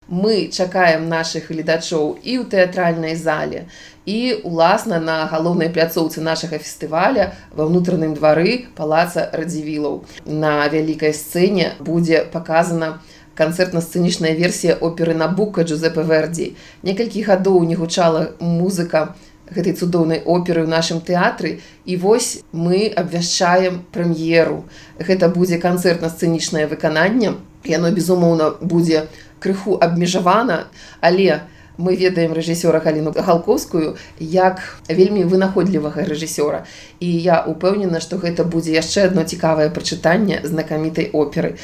Мы чакаем нашых гледачоў і ў тэатральнай зале, і уласна на галоўнай пляцоўцы нашага фестываля ва ўнутраным двары палаца Радзівілаў. На вялікай сцэне будзе паказана канцэртна-сцэнічная версія оперы Набука Джузеппе Верді. Некалькі гадоў не гучала музыка гэтай цудоўнай оперы ў нашым тэатры, і вось мы абвяшчаем прэм'еру. Гэта будзе канцэртна-сцэнічнае выкананне. Яно, безумоўна, будзе крыху абмежавана, але мы ведаем рэжысёра Галіну Галкоўскую як вельмі вынаходлівага рэжысёра. І я ўпэўнена, што гэта будзе яшчэ адно цікавае прачытанне знакамітай оперы.